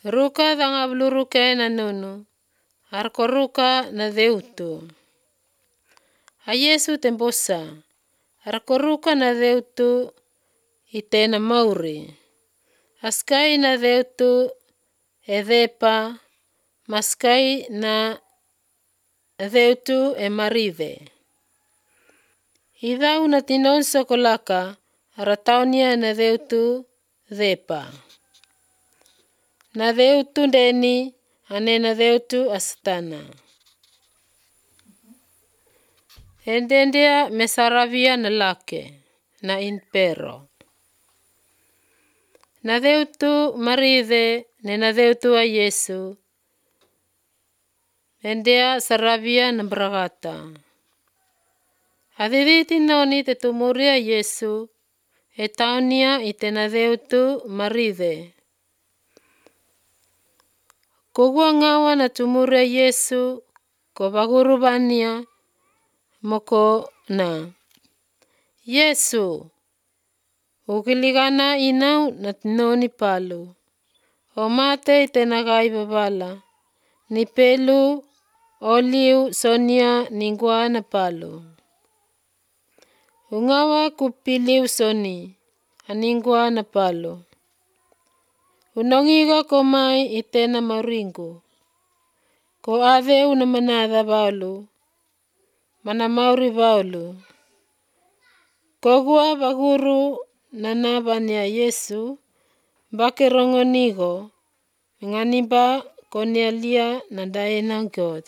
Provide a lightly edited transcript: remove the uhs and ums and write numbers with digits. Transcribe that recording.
Ruka danga bluruke na nono. Arkoruka na deutu. A Yesu tembosa. Arkoruka na deutu itena mauri. Askai na deutu edepa. Maskai na deutu marive. Idau na tinon sokolaka. Arataunia na deutu depa. Na deutu deni ane na deutu astana. Endendia mesaravia na lake na impero. Na deutu marive ne na deutu a Yesu. Endea saravia na bragata. Adiditi noni te tumuria Yesu. Etaunia itena deutu marive. Kogua ngawa na tumuria Yesu. Kobagurubania moko na. Yesu. Ukiligana inau na tinoni palu. Omate itena gai babala. Nipelu oliu sonia ningwa na palu. Ungawa kupiliu soni. Aningwa na palu. Unongiga komai itena maringu. Ko ave unamanada baulu. Mana mauri baulu. Kogua baguru nanabania Yesu. Bakerongonigo. Nganiba konialia na daena God.